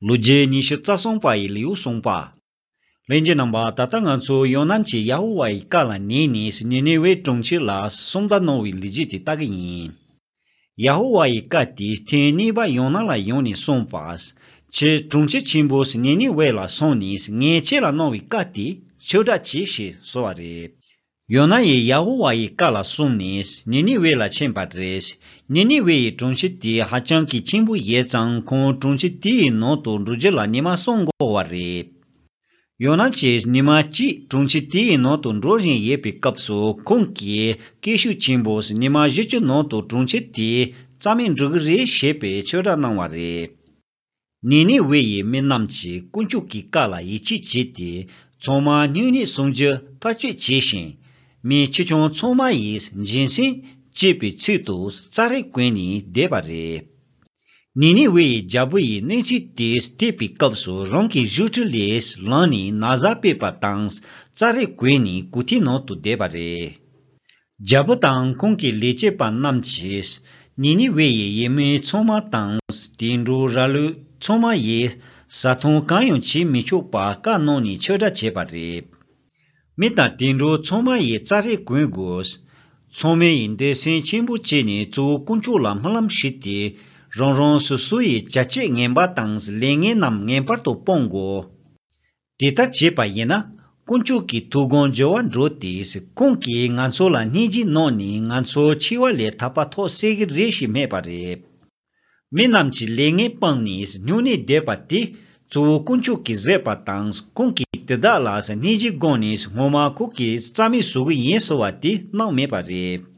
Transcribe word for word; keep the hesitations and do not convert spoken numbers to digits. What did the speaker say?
ལོ་རྒྱུས་ཉི་ཤུ་རྩ་གསུམ་པ་ཡི་ལེའུ་གསུམ་པ། ལྷན་རྒྱས་རྣམ་པ། ད་ལྟ་ང་ཚོ་ཡོ་ནན་གྱིས་ཡ་ཧོ་ཝཱ་ཡི་བཀའ་ལ་ཉན་ནས་ནི་ནི་ཝེ་གྲོང་ཁྱེར་ལ་སུམ་མདའ་གནང་བའི་ལོ་རྒྱུས་དེ་ལྟ་གི་ཡིན། ཡ་ཧོ་ཝཱ་ཡི་བཀའ་དེ་ཐེངས་གཉིས་པ་ཡོ་ནན་ལ་ཡོང་ནས་གསུངས་པ། ཁྱེད་གྲོང་ཁྱེར་ཆེན་པོ་ནི་ནི་ཝེ་ལ་སོང་ནས་ངས་ཁྱེད་ལ་གནང་བའི་བཀའ་དེ་ཆོས་སྒྲ་གྱིས་ཞེས་གསོལ་བ་རེད། ཡོ་ནན་ཡིས་ཡ་ཧོ་ཝཱ་ཡི་བཀའ་ལ་སོང་ནས་ནི་ནི་ཝེ་ལ་ཕྱིན་པ་རེད། ནི་ནི་ཝེ་ཡི་གྲོང་ཁྱེར་དེ་ཧ་ཅང་གི་ཆེན་པོ་ཡིན་ཙང་ཁོང་གྲོང་ཁྱེར་དེའི་ནང་དུ་འགྲོ་རྒྱུ་ལ་ཉི་མ་གསུམ་འགོར་བ་རེད། ཡོ་ནན་གྱིས་ཉི་མ་གཅིག་གྲོང་ཁྱེར་དེའི་ནང་དུ་འགྲོ་བཞིན་ཡོད་པའི་སྐབས་སུ་ཁོང་གིས་སྐད་ཤུགས་ཆེན་པོས་ཉི་མ་བཞི་བཅུ་ནང་དུ་གྲོང་ཁྱེར་དེ་རྩ་མེད་འགྲོ་གི་རེད་ཞེས་པའི་ཆོས་སྒྲ་གནང་བ་རེད། ནི་ནི་ཝེ་ཡི་མི་རྣམས་ཀྱིས་དཀོན་མཆོག་གི་བཀའ་ལ་ཡིད་ཆེས་བྱས་ཏེ། ཚང་མ་སྨྱུང་གནས་སྲུང་རྒྱུ་ཐག་གཅོད་བྱས་ཤིང་། མི་ཆེ་ཆུང་ཚང་མ་ཡིས་སྦྱིན་སྲེག་བྱེད་པའི་ཚུལ་དུ་ཙཱ་རི་གོན་ནས་བསྡད་པ་རེད། ནི་ནི་ཝེ་ཡི་རྒྱལ་པོ་ཡིས་གནས་ཚུལ་དེ་ཐོས་པའི་སྐབས་སུ་རང་གི་བཞུགས་ཁྲི་ལས་ལངས་ནས་ན་བཟའ་ཕུད་པ་དང་ཙཱ་རི་གོན་ནས་གོ་ཐོས་ནང་དུ་བསྡད་པ་རེད། རྒྱལ་པོ་དང་ཁོང་གི་ལས་བྱེད་པ་རྣམས་ཀྱིས་ནི་ནི་ཝེ་ཡི་ཡུལ་མི་ཚང་མ་དང་དུད་འགྲོ་ར་ལུག་ཚང་མ་ཡིས་བཟའ་འཐུང་གང་ཡང་བྱེད་མི་ཆོག་པ་བཀའ་གནང་ནས་ཆོས་སྒྲ་བྱས་པ་རེད། མི་དང་དུད་འགྲོ་ཚང་མ་ཡིས་ཙཱ་རི་གོན་དགོས། ཚང་མས་ཡིན་འདོད་སེམས་ཆེན་པོ་བྱས་ནས་གཙོ་བོ་དཀོན་མཆོག་ལ་སྨོན་ལམ་ཞུས་ཏེ། རང་རང་སོ་སོ་ཡི་བྱ་སྤྱོད་ངན་པ་དང་ལས་ངན་རྣམས་ངེས་པར་དུ་སྤོང་དགོས། དེ་ལྟར་བྱས་པ་ཡིན་ན། དཀོན་མཆོག་གི་ཐུགས་དགོངས་འགྱུར་བ་འགྲོ་སྟེ། ཁོང་གིས་ང་ཚོ་ལ་སྙིང་རྗེ་གནང་ནས་ང་ཚོ་འཆི་བ་ལས་ཐར་པ་ཐོབ་སྲིད་ཀྱི་རེད་ཞེས་སྨྲས་པ་རེད། མི་རྣམས་ཀྱིས་ལས་ངན་སྤངས་ནས་སྨྱུང་གནས་བསྡད་པ་དེ་གཙོ་བོ་དཀོན་མཆོག་གིས་བཟོས་པ་དང་། ཁོང་གིས་དེ་དག་ལ་སྙིང་རྗེ་དགོངས་ནས་སྔོན་མ་ཁོང་གིས་རྩ་མེད་བཟོ་གི་ཡིན་ཟེར་བ་དེ་གནང་མེད་པ་རེད།